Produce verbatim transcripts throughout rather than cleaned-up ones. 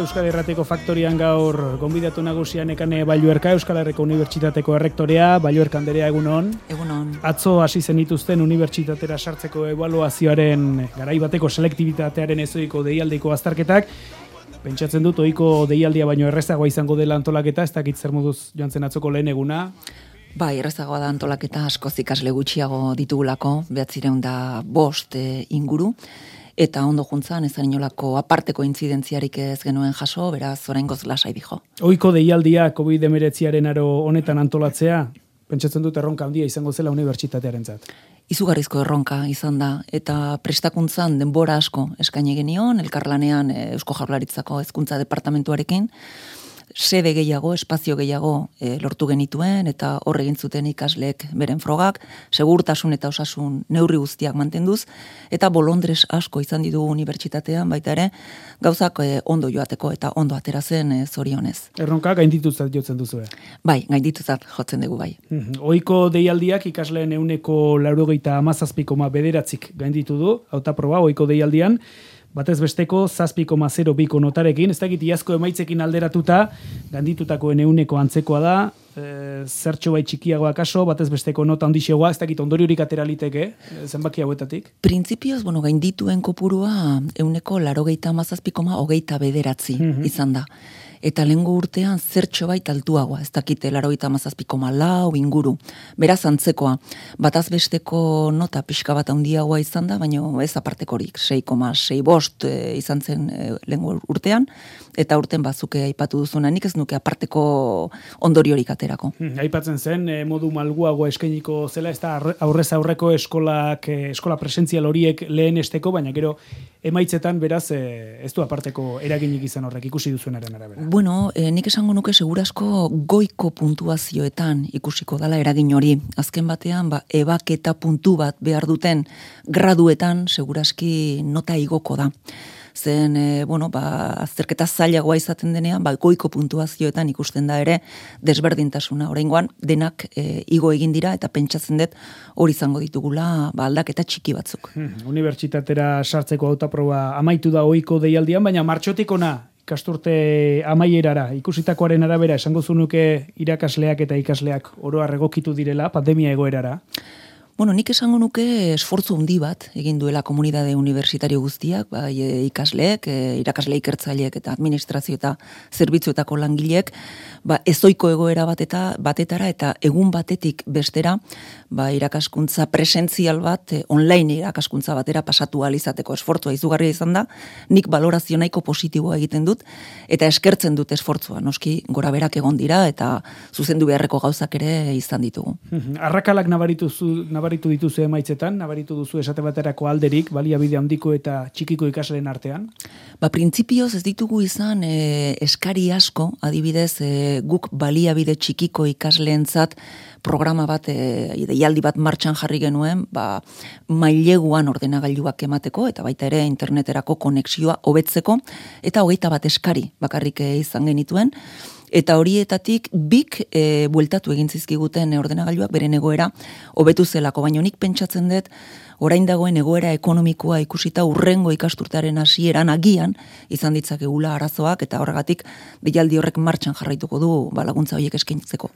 Euskal Herrateko Faktorian gaur gonbidatu nagusian Nekane Balluerka, Euskal Herriko Unibertsitateko errektorea. Balluerka anderea, egunon. Egunon. Atzo hasi zen dituzten unibertsitatera sartzeko ebaluazioaren garai bateko selektibitatearen ezoiko deialdiko azterketak. Pentsatzen dut ohiko deialdia baino errezagoa izango dela antolaketa, ez dakit zer moduz joan zen atzoko lehen eguna. Bai, errezagoa da antolaketa, askoz ikasle gutxiago ditugulako, behatzireun da bost e, inguru. Eta ondo juntzan, ez inolako aparteko intzidentziarik ez genuen jaso, beraz, oraingoz lasai dijo. Ohiko deialdia covid hemeretziaren aro honetan antolatzea, pentsatzen dut erronka handia izango zela unibertsitatearentzat. Izugarrizko erronka izan da, eta prestakuntzan denbora asko eskaini genion, elkarlanean Eusko Jaurlaritzako hezkuntza departamentuarekin, sede gehiago, espazio gehiago e, lortu genituen, eta hor egin zuten ikasleek beren frogak, segurtasun eta osasun neurri guztiak mantenduz, eta bolondres asko izan ditu unibertsitatean, baita ere, gauzak e, ondo joateko eta ondo atera zen e, zorionez. Erronka gaindituzat jotzen duzu. Bai, gaindituzat jotzen dugu bai. Mm-hmm. Ohiko deialdiak ikasleen ehuneko laurogeita hamazazpi koma bederatzik gainditu du, hautaproba ohiko deialdian, batez besteko zazpi koma zero biko notarekin, ez dakit iazko emaitzekin alderatuta, ganditutakoen ehuneko antzekoa da, e, zertxo bai txikiagoa kaso, batez besteko nota ondixegoa, ez dakit ondoriorik atera liteke, zenbaki hauetatik? Printzipioz, bueno, gaindituen kopurua ehuneko laurogeita hamazazpi koma hogeita bederatzi mm-hmm. izan da. Eta lehengo urtean zertxo bait altuagoa, ez dakite laurogeita hamazazpi koma lau inguru. Beraz antzekoa, bataz besteko nota pixka bat handiagoa izan da, baina ez apartekorik, sei koma sei bost e, izan zen e, lehengo urtean, eta urten bazuke aipatu duzuna, nik ez nuke aparteko ondoriorik aterako. Hmm, aipatzen zen, e, modu malguagoa eskainiko zela, ez da aurrez aurreko eskolak, e, eskola presentzial horiek lehen esteko, baina gero emaitzetan beraz e, ez du aparteko eraginik izan horrek ikusi duzuenaren arabera. Bueno, eh, nik esango nuke segurasko goiko puntuazioetan ikusiko dala eragin hori. Azken batean, ba, ebaketa puntu bat behar duten graduetan seguraski nota igoko da. Zen, e, bueno, ba, azterketa zailagoa izaten denean, ba, goiko puntuazioetan ikusten da ere desberdintasuna. Oraingoan denak e, igo egin dira eta pentsatzen dut hori izango ditugula ba, aldaketa txiki batzuk. Hmm, unibertsitatera sartzeko hautaproba amaitu da ohiko deialdian, baina martxotik ona ikasturte amaierara, ikusitakoaren arabera, esango zunuke irakasleak eta ikasleak oro har egokitu direla pandemia egoerara? Bueno, nik esango nuke esfortzu handi bat egin duela komunitate universitario guztiak, bai e, ikasleek, e, irakasle ikertzaileek eta administrazio eta zerbitzuetako langileek, ba ezoiko egoera bateta, batetara eta egun batetik bestera, ba irakaskuntza presentzial bat, e, online irakaskuntza batera pasatu ahal izateko esfortzua izugarria izan da. Nik balorazio nahiko positiboa egiten dut eta eskertzen dut esfortzua. Noski goraberak egon dira eta zuzendu beharreko gauzak ere izan ditugu. Arrakalak nabaritu zu nabaritu dituzu emaitzetan, nabaritu duzu esate baterako alderik, baliabide handiko eta txikiko ikasleen artean? Ba, printzipioz ez ditugu izan e, eskari asko, adibidez, e, guk baliabide txikiko ikasleentzat programa bat, e, deialdi bat martxan jarri genuen, ba, maileguan ordenagailuak emateko, eta baita ere interneterako konexioa hobetzeko, eta hogeita bat eskari bakarrik izan genituen, eta horietatik bik e, bueltatu egin zizkiguten ordenagailuak beren egoera hobetu zelako, baina nik pentsatzen dut orain dagoen egoera ekonomikoa ikusita urrengo ikasturtearen hasieran agian izan ditzakegula arazoak eta horregatik deialdi horrek martxan jarraituko du ba, laguntza horiek eskaintzeko.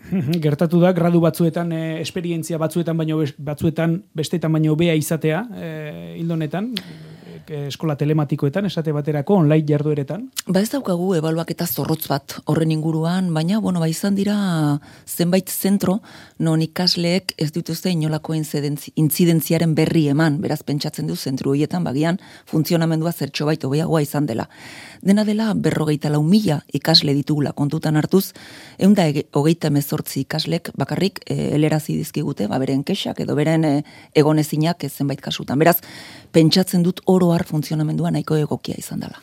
Gertatu da, gradu batzuetan, e, esperientzia batzuetan baino batzuetan bestetan baino hobea izatea, e, hildonetan, eskola telematikoetan, esate baterako, online jardueretan? Ba ez daukagu ebaluaketa zorrotz bat horren inguruan, baina, bueno, ba izan dira zenbait zentro, non ikasleek ez dituzte inolako intzidentziaren berri eman, beraz pentsatzen du zentru horietan, bagian funtzionamendua zertxo bait hobeagoa izan dela. Dena dela berrogeita lau mila ikasle ditugula kontutan hartuz, ehun da hogeita hemezortzi ikaslek bakarrik e, helerazi dizkigute, ba beren kexak edo beren e, egonezinak zenbait kasutan. Beraz, pentsatzen dut oro har funtzionamendua nahiko egokia izan dela.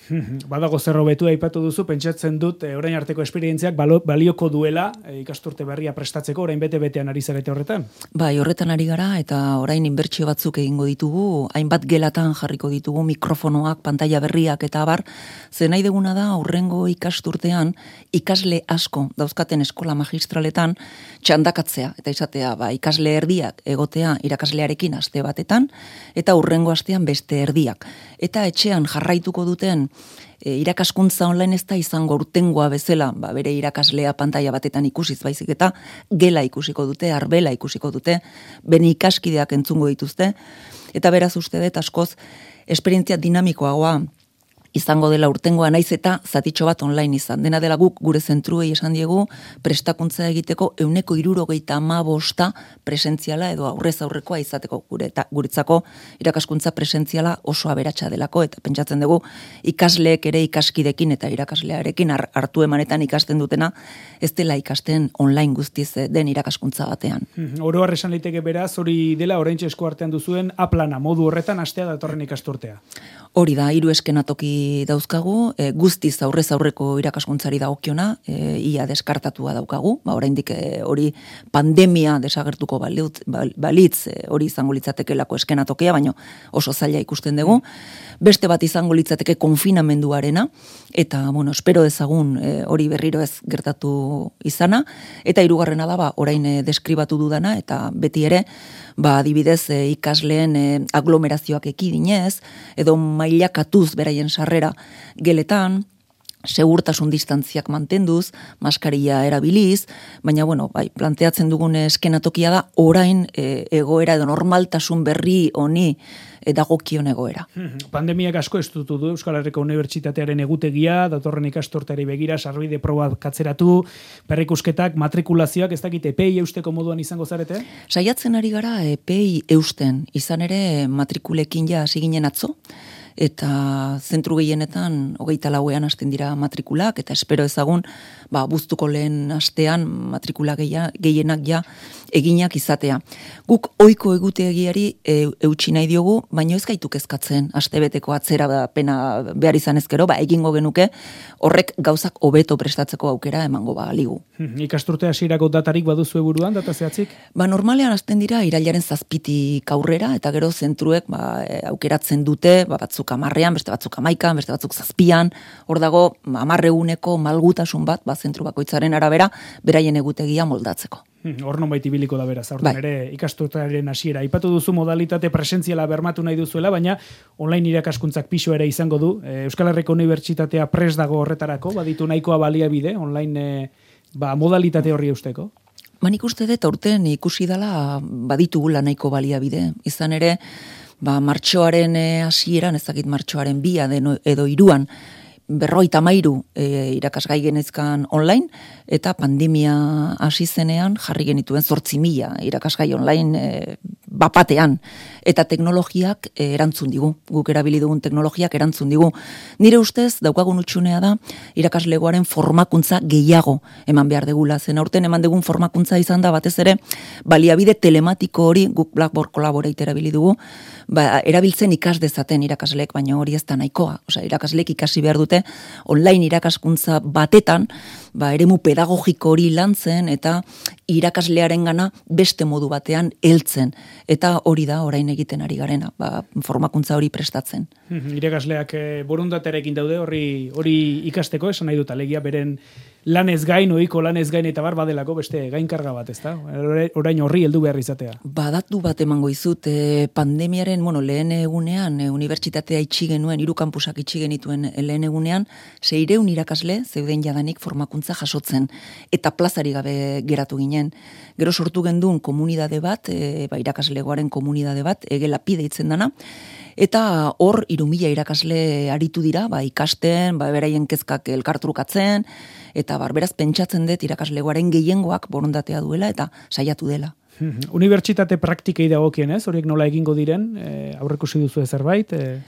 Badago zer hobetu aipatu duzu, pentsatzen dut e, orain arteko esperientziak balioko duela e, ikasturte berria prestatzeko, orain bete-betean ari zarete horretan? Bai, horretan ari gara eta orain inbertsio batzuk egingo ditugu, hainbat gelatan jarriko ditugu mikrofonoak, pantalla berriak eta abar, zen nahi deguna da aurrengo ikasturtean ikasle asko dauzkaten eskola magistraletan txandakatzea eta izatea ba, ikasle erdiak egotea irakaslearekin aste batetan eta aurrengo astean beste erdiak. Eta etxean jarraituko duten E, irakaskuntza online ez da izango urtengoa bezala, ba, bere irakaslea pantaila batetan ikusiz baizik eta gela ikusiko dute, arbela ikusiko dute, bere ikaskideak entzungo dituzte, eta beraz uste dut askoz esperientzia dinamikoagoa izango dela urtengoa naiz eta zatitxo bat online izan. Dena dela guk gure zentruei esan diegu prestakuntza egiteko euneko hirurogeita hamabosta presentziala edo aurrez aurrekoa izateko gure eta guretzako irakaskuntza presentziala oso aberatsa delako eta pentsatzen dugu ikasleek ere ikaskidekin eta irakaslearekin hartu emanetan ikasten dutena ez dela ikasten online guztiz den irakaskuntza batean. Oro har esan liteke beraz hori dela oraintxe esku artean duzuen aplana modu horretan hastea datorren ikasturtea. Hori da, hiru eskenatoki dauzkagu, e, guztiz aurrez aurreko irakaskuntzari dagokiona, e, ia deskartatua daukagu, ba, oraindik e, hori pandemia desagertuko balitz, balitz e, hori izango litzatekelako eskenatokia, baina oso zaila ikusten dugu. Beste bat izango litzateke konfinamenduarena, eta, bueno, espero dezagun e, hori berriro ez gertatu izana, eta hirugarrena da, ba, orain e, deskribatu dudana, eta beti ere, ba, adibidez e, ikasleen e, aglomerazioak ekidinez, edo mailakatuz beraien sarrera geletan, segurtasun distantziak mantenduz, maskaria erabiliz, baina, bueno, bai, planteatzen dugun eskenatokia da, orain e, egoera edo normaltasun berri honi e, dagokion egoera. Pandemiak asko estutu du Euskal Herriko Unibertsitatearen egutegia, datorren ikasturteari begira, sarbide proba katzeratu, berrikusketak, matrikulazioak, ez dakit epei eusteko moduan izango zarete? Saiatzen ari gara epei eusten, izan ere matrikulekin ja hasi ginen atzo, eta zentru gehienetan hogeita lauean hasten dira matrikulak, eta espero ezagun, ba, buztuko lehen astean matrikula gehienak ja eginak izatea. Guk ohiko egutegiari e, eutsi nahi diogu, baina ez gaitu kezkatzen, astebeteko atzera da pena behar izan ezkero, ba, egingo genuke, horrek gauzak hobeto prestatzeko aukera emango ba ligu. Ikasturte hasierako datarik baduzu buruan, data zehatzik? Ba, normalean hasten dira irailaren zazpitik aurrera, eta gero zentruek ba, aukeratzen dute, ba, batzuk amarrean, beste batzuk amaikan, beste batzuk zazpian, hor dago amarreuneko malgutasun bat, ba, zentru bakoitzaren arabera, beraien egutegia moldatzeko. Hor nonbait ibiliko da beraz, aurten ere ikasturtearen hasiera. Aipatu duzu modalitate presentziala bermatu nahi duzuela, baina online irakaskuntzak pisu ere izango du. Euskal Herriko Unibertsitatea prest dago horretarako, baditu nahikoa baliabide, online ba, modalitate horri eusteko? Ba, nik uste dut aurten ikusi dela baditugula nahiko baliabide. Izan ere, ba, martxoaren hasieran, ez dakit martxoaren bia edo hiruan, berroita mairu e, irakasgai genezkan online, eta pandemia hasi zenean jarri genituen zortzi mila irakasgai online e, bapatean, eta teknologiak e, erantzun digu, guk erabili dugun teknologiak erantzun digu. Nire ustez, daukagun utxunea da, irakaslegoaren formakuntza gehiago eman behar degula, zen aurten eman dugun formakuntza izan da batez ere, baliabide telematiko hori, guk Blackboard Collaborate erabili dugu, ba, erabiltzen ikas dezaten irakasleek, baina hori ez da nahikoa. Osea, irakasleek ikasi behar dute online irakaskuntza batetan, ba, eremu pedagogiko hori lantzen eta irakaslearen gana beste modu batean heltzen. Eta hori da orain egiten ari garena, ba, formakuntza hori prestatzen. Irakasleak e, borondatearekin daude hori hori ikasteko, esan nahi dut alegia beren lanez gain, ohiko lanez gain eta bar badelako beste gainkarga bat, ezta? Orain horri heldu behar izatea. Badatu bat emango izut, e, pandemiaren, bueno, lehen egunean, e, unibertsitatea itxi genuen, hiru kanpusak itxi genituen lehen egunean, seireun irakasle zeuden jadanik formakuntza jasotzen, eta plazari gabe geratu ginen. Gero sortu gendun komunidade bat, e, ba, irakaslegoaren komunidade bat, egelapi deitzen dana, eta hor hiru mila irakasle aritu dira, ba, ikasten, ba, beraien kezkak elkartrukatzen, eta barberaz pentsatzen dut irakaslegoaren gehiengoak borondatea duela eta saiatu dela. Unibertsitate praktikei dagokien ez, horiek nola egingo diren, e, aurrekusi duzu zerbait, e,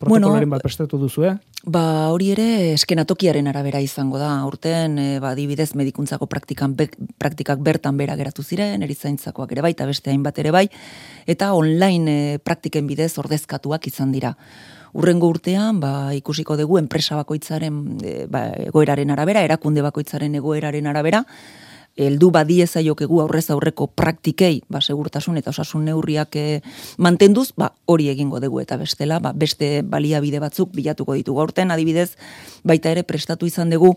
protokolaren bueno, bat prestatu duzu, eh? Ba, hori ere eskenatokiaren arabera izango da. Urten, e, ba, adibidez medikuntzako praktikan, be, praktikak bertan bera geratu ziren, erizaintzakoak ere bai, eta beste hainbat ere bai, eta online e, praktiken bidez ordezkatuak izan dira. Urrengo urtean, ba, ikusiko dugu enpresa bakoitzaren e, ba, egoeraren arabera, erakunde bakoitzaren egoeraren arabera, heldu badiezaiokegu aurrez aurreko praktikei, ba, segurtasun eta osasun neurriak e, mantenduz, ba, hori egingo dugu eta bestela, ba, beste baliabide batzuk bilatuko ditugu. Aurten adibidez, baita ere prestatu izan dugu,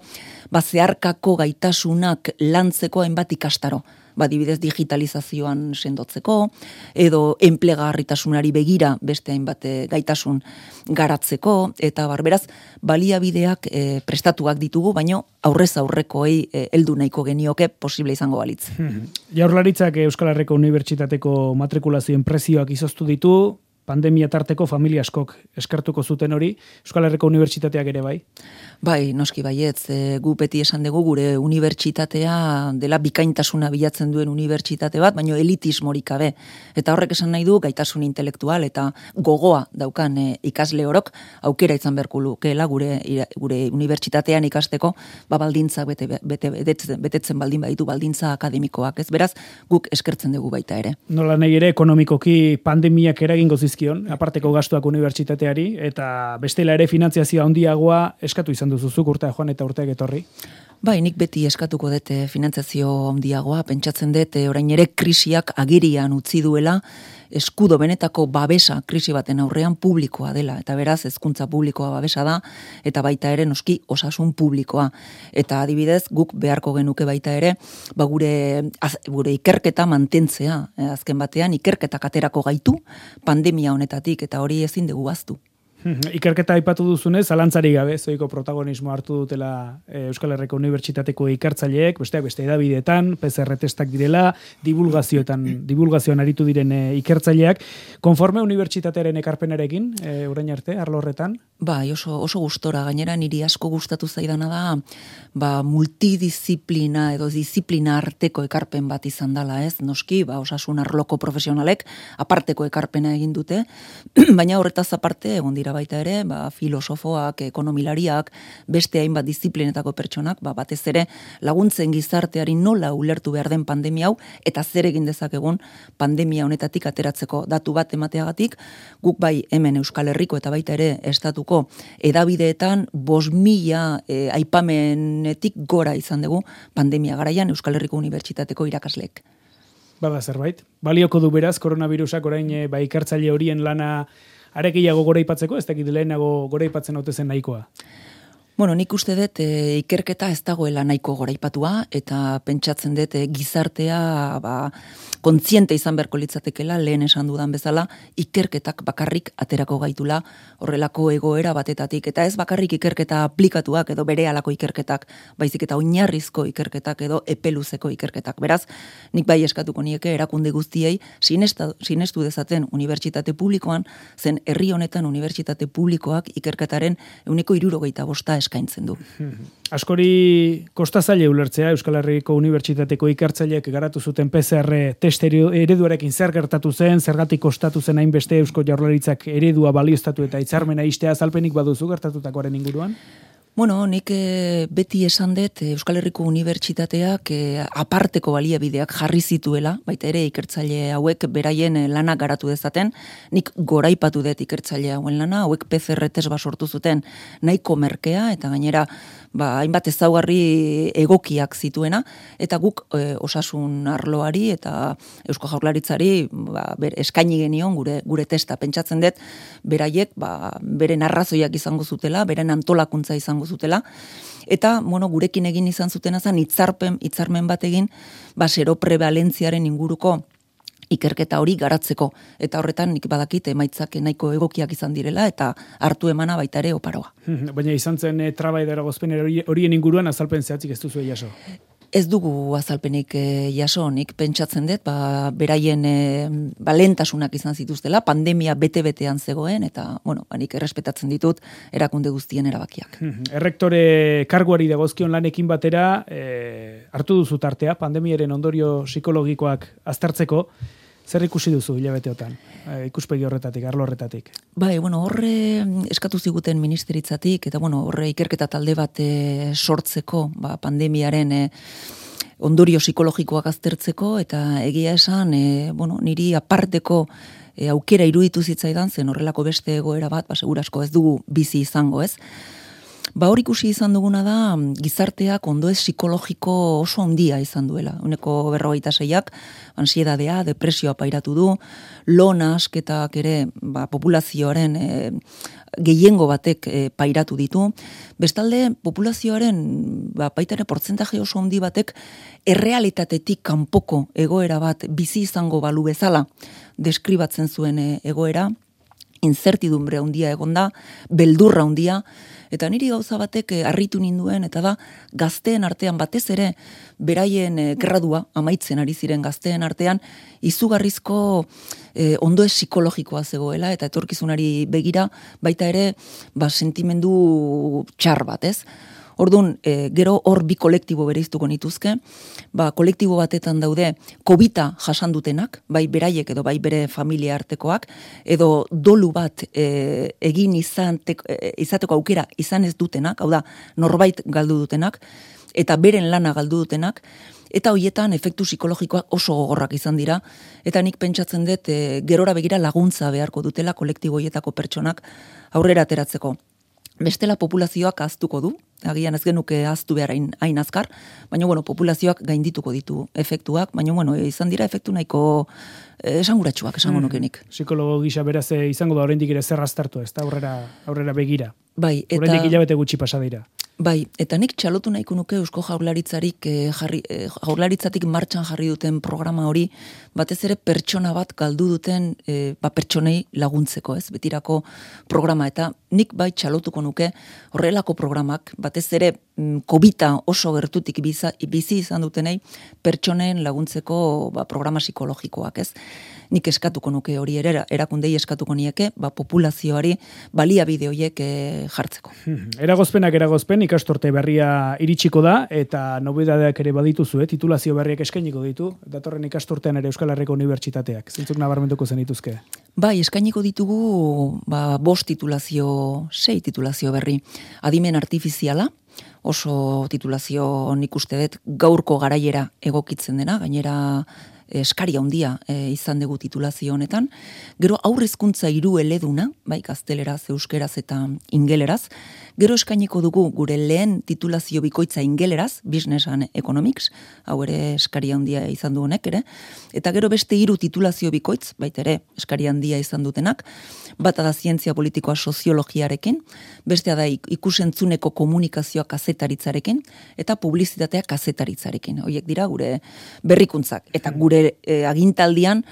ba, zeharkako gaitasunak lantzeko hainbat ikastaro. ba, dibidez digitalizazioan sendotzeko, edo enplegarritasunari begira beste hainbat gaitasun garatzeko, eta barberaz, baliabideak e, prestatuak ditugu, baino aurrez aurrekoei e, heldu nahiko genioke posible izango balitz. Jaurlaritzak Euskal Herriko Unibertsitateko matrikulazioen prezioak izoztu ditu, pandemia tarteko familia askok eskartuko zuten hori, Euskal Herriko Unibertsitateak ere bai? Bai, noski baietz, e, gu beti esan dugu gure unibertsitatea dela bikaintasuna bilatzen duen unibertsitate bat, baino elitismorik gabe. Eta horrek esan nahi du gaitasun intelektual eta gogoa daukan e, ikasle orok aukera izan beharko lukeela gure gure unibertsitatean ikasteko, ba baldintzak bete, bete, betetzen, betetzen baldin baditu baldintza akademikoak, ez beraz, guk eskertzen dugu baita ere. Nola nahi ere ekonomikoki pandemiak eragingo zizkion, aparteko gastuak unibertsitateari, eta bestela ere finantziazioa handiagoa eskatu izan duzuzuk urtea joan eta urteak etorri? Bai, nik beti eskatuko dute finantziazio handiagoa, pentsatzen dut orain ere krisiak agirian utzi duela, eskudo benetako babesa krisi baten aurrean publikoa dela, eta beraz hezkuntza publikoa babesa da, eta baita ere noski osasun publikoa. Eta adibidez, guk beharko genuke baita ere, ba gure, az, gure ikerketa mantentzea, eh, azken batean ikerketak aterako gaitu pandemia honetatik, eta hori ezin dugu baztu. Ikerketa aipatu duzunez, zalantzari gabe, zoiko protagonismo hartu dutela Euskal Herriko Unibertsitateko ikertzaileek, besteak beste edabideetan, P C R testak direla, divulgazioetan, divulgazioan aritu diren ikertzaileak. Konforme unibertsitatearen ekarpenarekin, e, orain arte, arlo horretan? Bai, oso, oso gustora, gainera niri asko gustatu zaidana da, ba, multidisziplina edo disiplina arteko ekarpen bat izan dela, ez? Noski, ba, osasun arloko profesionalek aparteko ekarpena egin dute, baina horretaz aparte, egon dira baita ere, ba, filosofoak, ekonomilariak, beste hainbat disiplinetako pertsonak, ba, batez ere laguntzen gizarteari nola ulertu behar den pandemia hau, eta zer egin dezakegun pandemia honetatik ateratzeko datu bat emateagatik, guk bai hemen Euskal Herriko eta baita ere estatuko edabideetan bost mila e, aipamenetik gora izan dugu pandemia garaian Euskal Herriko Unibertsitateko irakasleek. Bada zerbait. Balioko du beraz, koronavirusak orain e, ba, ikertzaile horien lana arekiago gora ipatzeko, ez dakit lehenago gora ipatzen haute zen nahikoa? Bueno, nik uste dut e, ikerketa ez dagoela nahiko goraipatua, eta pentsatzen dut e, gizartea ba, kontziente izan beharko litzatekela, lehen esan dudan bezala, ikerketak bakarrik aterako gaitula horrelako egoera batetatik, eta ez bakarrik ikerketa aplikatuak edo berehalako ikerketak, baizik eta oinarrizko ikerketak edo epeluzeko ikerketak. Beraz, nik bai eskatuko nieke erakunde guztiei sinesta, sinestu dezaten unibertsitate publikoan, zen herri honetan unibertsitate publikoak ikerketaren ehuneko hirurogeita bosta eskaintzen du. Askori kostazaile ulertzea, Euskal Herriko Unibertsitateko ikertzaileek garatu zuten P C R test ereduarekin zer gertatu zen, zergatik kostatu zen hainbeste Eusko Jaurlaritzak eredua balioztatu eta hitzarmena istea, azalpenik baduzu gertatutakoaren inguruan? Bueno, nik e, beti esan dut Euskal Herriko Unibertsitateak e, aparteko baliabideak jarri zituela, baita ere ikertzaile hauek beraien lana garatu dezaten, nik goraipatu dut ikertzaile hauen lana, hauek P C R test bat sortu zuten nahiko merkea, eta gainera ba, hainbat ezaugarri egokiak zituena, eta guk e, osasun arloari eta Eusko Jaurlaritzari ba, ber, eskaini genion gure, gure testa, pentsatzen dut beraiek ba, beren arrazoiak izango zutela, beren antolakuntza izango zutela, eta bueno, gurekin egin izan zutena zen hitzarpen hitzarmen bat egin ba seroprevalentziaren inguruko ikerketa hori garatzeko, eta horretan nik badakit emaitzak nahiko egokiak izan direla eta hartu emana baita ere oparoa. Baina izan zen e, traba edo eragozpen horien inguruan azalpen zehatzik ez duzu jaso? Ez dugu azalpenik e, jaso, nik pentsatzen dut, ba, beraien e, ba, lehentasunak izan zituztela, pandemia bete-betean zegoen, eta, bueno, ba, nik errespetatzen ditut erakunde guztien erabakiak. Errektore karguari dagozkion lanekin batera, e, hartu duzu tartea, pandemiaren ondorio psikologikoak aztertzeko, zer ikusi duzu hilabeteotan, e, ikuspegi horretatik, arlo horretatik? Bai, bueno, horre eskatu ziguten ministeritzatik, eta bueno, horre ikerketa talde bat e, sortzeko, ba, pandemiaren e, ondorio psikologikoak aztertzeko, eta egia esan, e, bueno, niri aparteko e, aukera iruditu zitzaidan, zen horrelako beste egoera bat, ba, segurasko ez dugu bizi izango, ez? Ba hor ikusi izan duguna da, gizarteak ondoez psikologiko oso handia izan duela. Uneko berrogeita seiak, ansiedadea, depresioa pairatu du, lona asketak ere ba, populazioaren e, gehiengo batek e, pairatu ditu. Bestalde, populazioaren ba, baita ere portzentaje oso handi batek errealitatetik kanpoko egoera bat bizi izango balu bezala deskribatzen zuen e, egoera, incertidumbre handia egonda, beldurra handia, eta niri gauza batek harritu ninduen, eta da gazteen artean batez ere, beraien eh, gradua, amaitzen ari ziren gazteen artean, izugarrizko eh, ondoez psikologikoa zegoela, eta etorkizunari begira, baita ere, ba, sentimendu txar bat, ez? Orduan, e, gero hor bi kolektibo bereiztuko nituzke, ba, kolektibo batetan daude kobita jasan dutenak, bai beraiek edo bai bere familia artekoak, edo dolu bat e, egin izan te, e, izateko aukera izan ez dutenak, hau da, norbait galdu dutenak, eta beren lana galdu dutenak, eta hoietan efektu psikologikoak oso gogorrak izan dira, eta nik pentsatzen dut e, gerora begira laguntza beharko dutela kolektibo hoietako pertsonak aurrera ateratzeko. Bestela populazioak ahaztuko du, agian ez genuke ahaztu behar hain, hain azkar, baina bueno, populazioak gaindituko ditu efektuak, baina bueno, izan dira efektu nahiko eh, esanguratsuak, esango mm, nukenik. Psikologo gisa beraz izango da oraindik ere zer aztertu, ez da aurrera, aurrera begira. Bai, eta oraindik hilabete gutxi pasa dira. Bai, eta nik txalotu nahiko nuke Eusko Jaurlaritzarik eh, jarri, eh, Jaurlaritzatik martxan jarri duten programa hori, batez ere pertsona bat galdu duten eh, ba, pertsonei laguntzeko, ez, betirako programa, eta nik bai txalotuko nuke horrelako programak, batez ere mm, kobita oso gertutik biza, bizi izan dutenei pertsonen laguntzeko ba, programa psikologikoak, ez. Nik eskatuko nuke hori ere, erakundei eskatuko nieke, ba, populazioari baliabide horiek e, jartzeko. Eragozpenak eragozpen, ikastorte berria iritsiko da, eta nobedadeak ere badituzu, eh? Titulazio berriak eskainiko ditu, datorren ikastortean ere Euskal Herriko Unibertsitateak. Zintzuk nabarmentuko zenituzke? Bai, eskainiko ditugu ba, bost titulazio, sei titulazio berri. Adimen artifiziala, oso titulazio nik uste dut gaurko garaiera egokitzen dena, gainera eskaria handia e, izan dugu titulazio honetan. Gero aurrezkuntza hiru eleduna, bai gazteleraz, euskeraz eta ingeleraz. Gero eskainiko dugu gure lehen titulazio bikoitza ingeleraz, Business and Economics, hau ere eskaria handia izan du honek ere. Eta gero beste hiru titulazio bikoitz, baita ere eskaria handia izan dutenak, bata da zientzia politikoa soziologiarekin, bestea da ikusentzuneko komunikazioa kazetaritzarekin, eta publizitatea kazetaritzarekin. Horiek dira gure berrikuntzak. Eta gure e, agintaldian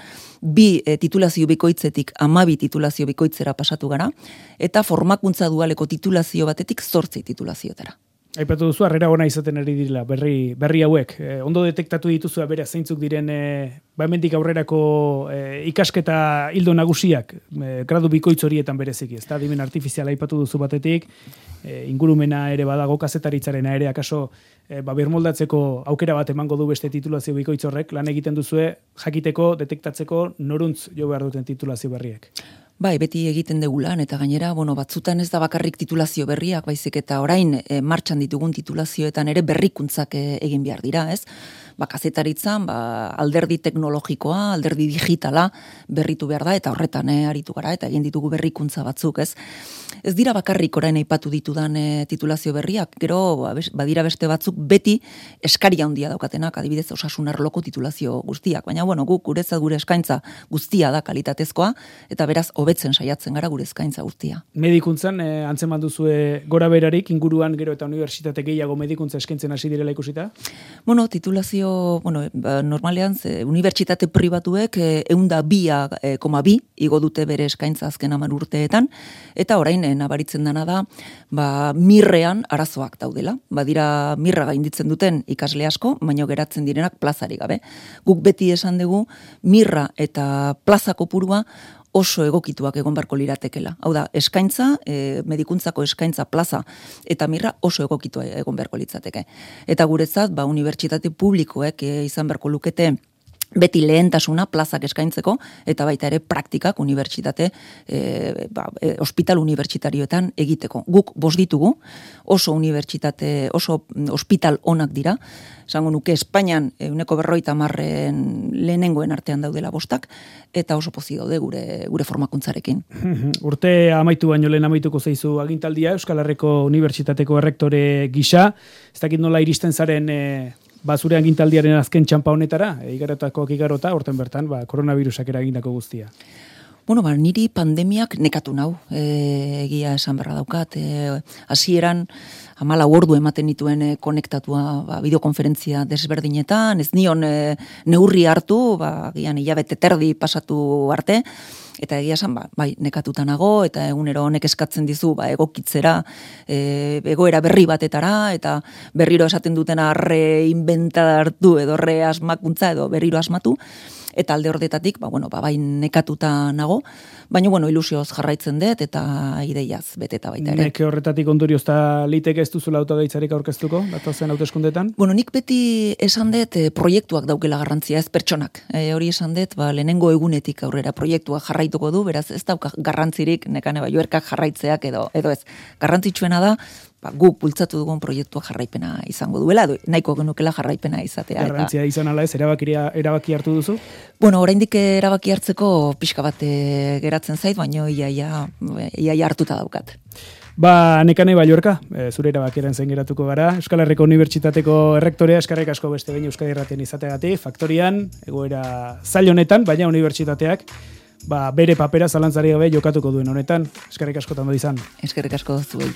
bi e, titulazio bikoitzetik amabi titulazio bikoitzera pasatu gara, eta formakuntza dualeko titulazio batetik zortzi titulazioetara. Aipatu duzu, harrera ona izaten ari direla, berri, berri hauek. E, ondo detektatu dituzu, beraz, zeintzuk diren, e, ba hemendik aurrerako e, ikasketa hildo nagusiak, e, gradu bikoitz horietan bereziki, ez da, adimen artifiziala aipatu duzu batetik, e, ingurumena ere badago, kazetaritzarena ere, akaso, e, ba, birmoldatzeko aukera bat emango du beste titulazio bikoitz horrek, lan egiten duzue, jakiteko, detektatzeko, noruntz jo behar duten titulazio berriek. Bai, beti egiten dugu lan, eta gainera, bueno, batzutan ez da bakarrik titulazio berriak, baizik eta orain e, martxan ditugun titulazioetan ere berrikuntzak e, egin behar dira, ez? Ba, kazetaritzan, ba, alderdi teknologikoa, alderdi digitala berritu behar da, eta horretan e, aritu gara, eta egin ditugu berrikuntza batzuk, ez? Ez dira bakarrik orain aipatu ditudan e, titulazio berriak, gero, ba, badira beste batzuk beti eskaria handia daukatenak, adibidez osasun arloko titulazio guztiak, baina, bueno, guk guretzat gure eskaintza guztia da kalitatezkoa, eta beraz, hobetzen saiatzen gara gure eskaintza guztia. Medikuntzan, eh, antzeman duzue gora berarik, inguruan gero eta unibertsitate gehiago medikuntza eskaintzen hasi direla ikusita? Bueno, titulazio, bueno, ba, normalean, ze, unibertsitate pribatuek eh, eunda bia, eh, koma bi, igo dute bere eskaintza azken hamar urteetan, eta orain eh, nabaritzen dana da, ba, mirrean arazoak daudela. Badira mirra gainditzen duten ikasle asko, baina geratzen direnak plazarik gabe. Guk beti esan dugu, mirra eta plaza kopurua oso egokituak egon barko liratekela. Hau da, eskaintza, e, medikuntzako eskaintza plaza eta mirra oso egokitua egon beharko litzateke. Eta guretzat, ba, unibertsitate publikoek e, izan beharko lukete beti lehentasuna plazak eskaintzeko, eta baita ere praktikak unibertsitate, e, ba, e, hospital unibertsitarioetan egiteko. Guk bost ditugu, oso unibertsitate, oso hospital onak dira, esango nuke Espainian ehuneko berrogeita hamarren lehenengoen artean daudela bostak, eta oso pozik daude gure, gure formakuntzarekin. Urte amaitu baino lehen amaituko zaizu agintaldia, Euskal Herriko Unibertsitateko errektore gisa, ez dakit nola iristen zaren e, ba, zure agintaldiaren azken txampa honetara, e, igarotako igarota, horten bertan, ba, koronavirusak eragindako guztia. Bueno, ba, niri pandemiak nekatu nau, e, egia esan berra daukat, e, hasieran amala ordu ematen dituen e, konektatua ba, bideokonferentzia desberdinetan, ez nion e, neurri hartu, ba, gian hilabete terdi pasatu arte, eta egia esan, ba, bai, nekatuta nago, eta egunero honek eskatzen dizu, ba, egokitzera, e, egoera berri batetara, eta berriro esaten dutena reinventa hartu, edo reasmakuntza, edo berriro asmatu, eta alde hordetatik, ba, bueno, ba, bai nekatuta nago, baina, bueno, ilusioz jarraitzen dut, eta ideiaz beteta baita ere. Nek horretatik ondoriozta liteke ez duzula autogaitzarik aurkeztuko, datozen hauteskundetan? Bueno, nik beti esan dut e, proiektuak daukela garrantzia, ez pertsonak. E, hori esan dut, ba, lehenengo egunetik aurrera proiektuak jarraituko du, beraz ez dauka garrantzirik, nekane ba, joerkak jarraitzeak edo, edo ez. Garrantzitsuena da, ba, guk bultzatu dugun proiektua jarraipena izango duela, edo nahiko genukela jarraipena izatea. Garrantzia eta... izan ala ez, erabakiria, erabaki hartu duzu? Bueno, oraindik erabaki hartzeko pixka bat e, geratzen zait, baina iaia, iaia hartuta daukat. Ba, Nekane Balluerka, e, zure erabakiaren zen geratuko gara. Euskal Herriko Unibertsitateko errektorea, eskarrik asko beste behin Euskadi Irratian izateagatik, Faktorian, egoera zail honetan, baina unibertsitateak ba, bere papera zalantzari gabe jokatuko duen honetan. Eskarrik asko tambo izan. Eskarrik asko zuei.